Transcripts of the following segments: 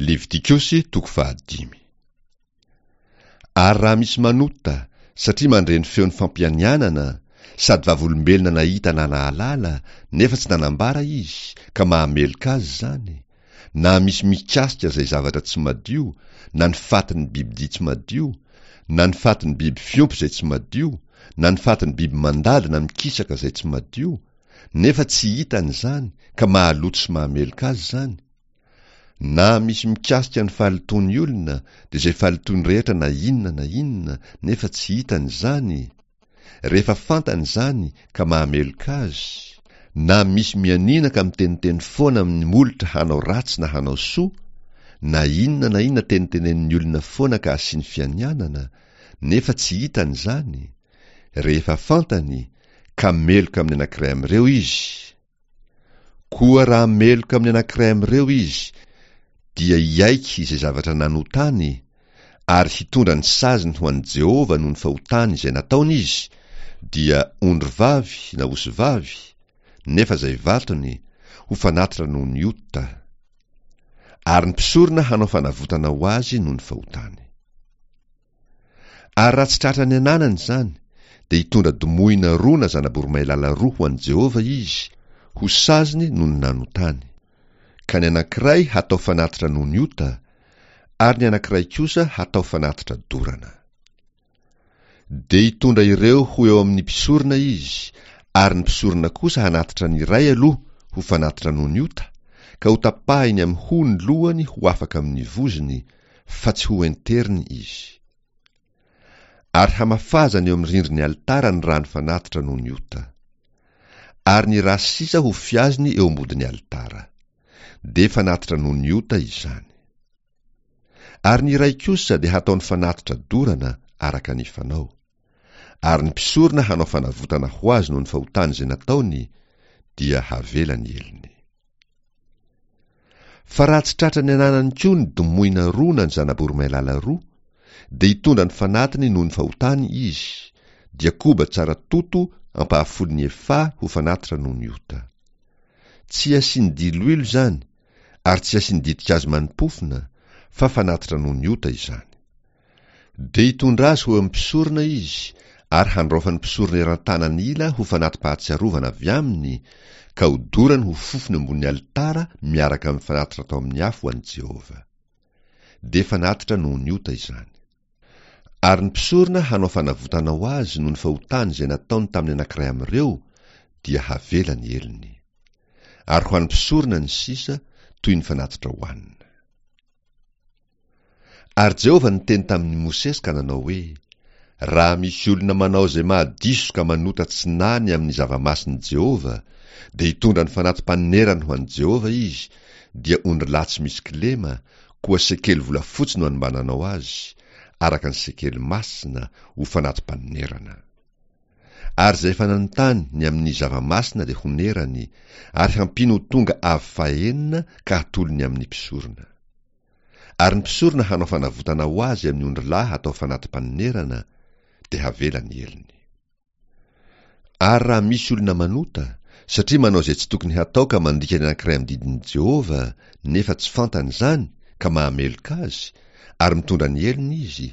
Levitikosy toko fahadimy. Ary raha misy manota, satria mandre ny feon'ny fampianianana, sady vavolombelona nahita na nahalala, nefa tsy nanambara izy, ka mahameloka azy izany, na misy mikasika izay zavatra tsy madio, na ny fatin'ny bibidia tsy madio, na ny fatin'ny biby fiompy izay tsy madio, na ny fatin'ny biby mandady na mikisaka izay tsy madio, nefa tsy hitany izany, ka mahaloto sy mahameloka azy izany, Na misy mikasika ny fahalotoan'ny olona dia izay fahalotoany rehetra na inona na inona nefa tsy hitany izany, rehefa fantany izany ka mahameloka azy, na misy mianiana ka miteniteny foana amin'ny molotra hanao ratsy na hanao soa, na inona na inona tenitenenin'ny olona foana ka asiany fianianana, nefa tsy hitany izany, rehefa fantany ka meloka amin'ny anankiray amin'ireo izy, Koa raha meloka amin'ny anankiray amin'ireo izy, dia hiaiky izay zavatra nanotany, ary hitondra ny saziny ho an'i Jehovah noho ny fahotany izay nataony izy, dia ondrivavy na osivavy, nefa izay vatony, ho fanatitra noho ny ota. Ary ny mpisorona hanao fanavotana ho azy noho ny fahotany. Ary raha tsy tratra ny ananany izany, dia hitondra domohina roa na zana-boromailala roa ho an'i Jehovah izy, ho saziny noho ny nanotany. Ka ny anankiray hatao fanatitra noho ny ota, ary ny anankiray kosa hatao fanatitra dorana. Dia hitondra ireo ho eo amin'ny mpisorona izy, ary ny mpisorona kosa hanatitra ny iray aloha ho fanatitra noho ny ota, ka hotapahiny amin'ny hoho ny lohany ho afaka amin'ny vozony, fa tsy ho enteriny izy. Ary hamafazany eo amin'ny rindrin'ny alitara ny rano fanatitra noho ny ota. Ary ny ra sisa ho fiaziny eo ambodin'ny alitara. Dia fanatitra noho ny ota izany. Ary ny iray kosa dia hataony fanatitra dorana araka ny fanao. Ary ny mpisorona hanao fanavotana ho azy noho ny fahotany izay nataony, dia havela ny helony. Fa raha tsy tratra ny ananany koa ny domohina roa na ny zana-boromailala roa, dia hitondra ny fanatiny noho ny fahotany izy, dia koba tsara toto ampahafolon'ny efaha ho fanatitra noho ny ota. Tsy asiany diloilo izany, ary tsy asiany ditin-kazo mani-pofona, fa fanatitra noho ny ota izany. Dia hitondra azy ho eo amin'ny mpisorona izy, ary handraofan'ny mpisorona eran-tanany ila ho fanati-pahatsiarovana avy aminy, ka hodorany ho fofony ambonin'ny alitara miaraka amin'ny fanatitra atao amin'ny afo ho an'i Jehovah. Dia fanatitra noho ny ota izany. Ary ny mpisorona hanao fanavotana ho azy noho ny fahotany izay nataony tamin'ny anankiray amin'ireo, dia havela ny helony. Ary ho an'ny mpisorona ny sisa, toy ny fanatitra hohanina. Ary Jehovah niteny tamin'i Mosesy ka nanao hoe, Raha misy olona manao izay mahadiso ka manota tsy nahy ny amin'ny zava-masin'i Jehovah, dia hitondra ny fanati-panerany ho an'i Jehovah izy, dia ondrilahy tsy misy kilema, koa sekely volafotsy no anombananao azy, araka ny sekely masina, ho fanati-panonerana. Ary izay efa nanontany ny amin'ny zava-masina dia honerany, ary hampiany ho tonga avo fahenina ka hatolony amin'ny mpisorona. Ary ny mpisorona hanao fanavotana ho azy amin'ny ondrilahy hatao fanati-panonerana, dia havela ny helony. Ary raha misy olona manota, satria manao izay tsy tokony hatao ka mandika ny anankiray amin'ny didin'i Jehovah, nefa tsy fantany izany, ka mahameloka azy, ary mitondra ny helony izy,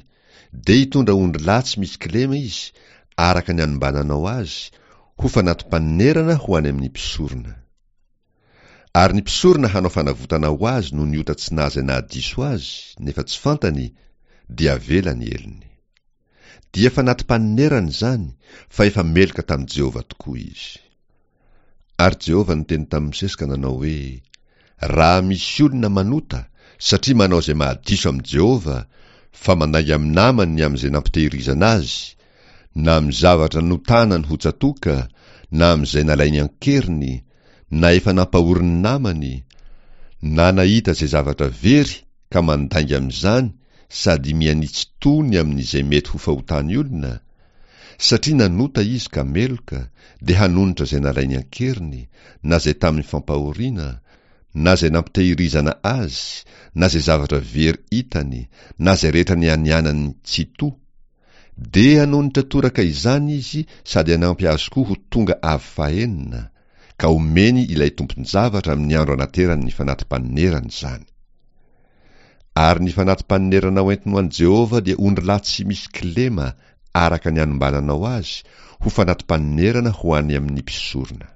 dia hitondra ondrilahy tsy misy kilema izy, araka ny anombananao azy, ho fanati-panonerana ho any amin'ny mpisorona. Ary ny mpisorona hanao fanavotana ho azy noho ny ota tsy naha izay nahadiso azy, nefa tsy fantany, dia avela ny helony. Dia fanati-panonerana izany, fa efa meloka tamin'i Jehovah tokoa izy. Ary Jehovah niteny tamin'i Mosesy ka nanao hoe, Raha misy olona manota, satria manao izay mahadiso amin'i Jehovah, fa mandainga amin'ny namany ny amin'izay nampitehirizana azy, na amin'ny zavatra notanany ho tsatoka, na amin'izay nalainy an-keriny, na efa nampahorin'ny namany, na nahita izay zavatra very ka mandainga amin'izany sady mihanitsy tony amin'izay mety ho fahotan'ny olona, satria nanota izy ka meloka, dia hanonitra izay nalainy an-keriny, na izay tamin'ny fampahoriana, na izay nampitehirizana azy, na izay zavatra very hitany, na izay rehetra nianianany tsy to. Dia hanonitra toraka izany izy sady hanampy azy koa ho tonga avo fahenina, ka homeny ilay tompon-javatra amin'ny andro anaterany ny fanati-panonerany izany. Ary ny fanati-panonerana hoentiny ho an'i Jehovah dia ondrilahy tsy misy kilema, araka ny anombananao azy, ho fanati-panonerana ho any amin'ny mpisorona.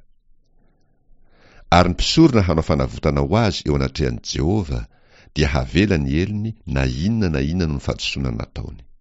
Ary ny mpisorona hanao fanavotana ho azy eo anatrehan'i Jehovah, dia havela ny helony na inona na inona no fahadisoana nataony.